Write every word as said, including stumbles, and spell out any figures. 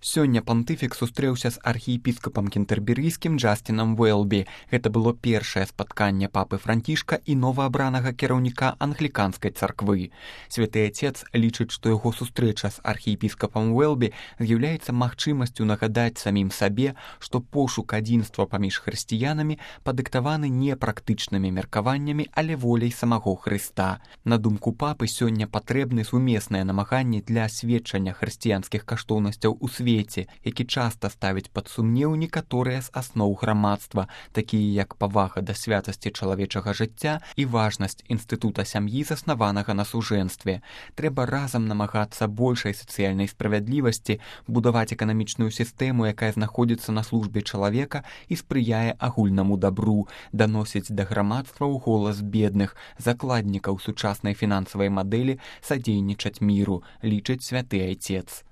Сёння пантыфік сустрэўся з архіепіскапам кентэрберыйскім Джастинам Уэлбі. Гэта было першае спатканне папы Францішка і новаабранага кіраўніка англіканскай царквы. Святы Отец лічыць, што яго сустрэча з архіепіскапам Уэлбі з'яўляецца магчымасцю нагадаць самім сабе, што пошук адзінства паміж хрысціянамі падыктаваны не практычнымі меркаваннямі, але воляй самого Хрыста. На думку папы, сёння патрэбны сумесныя намаганні для асведчання хрысціянскіх каштоўнасцяў у свеце, які часта ставіць пад сумнеў некаторыя з асноў грамадства, такія як павага да святасці чалавечага жыцця і важнасць інстытута сям'і, заснаванага на сужэнстве. Трэба разам намагацца большай сацыяльнай справядлівасці, будаваць эканамічную сістэму, якая знаходзіцца на службе чалавека і спрыяе агульнаму дабру, даносіць да грамадства ў голас бедных, закладнікаў сучаснай фінансавай мадэлі, садзейнічаць міру, лічыць святы Отец.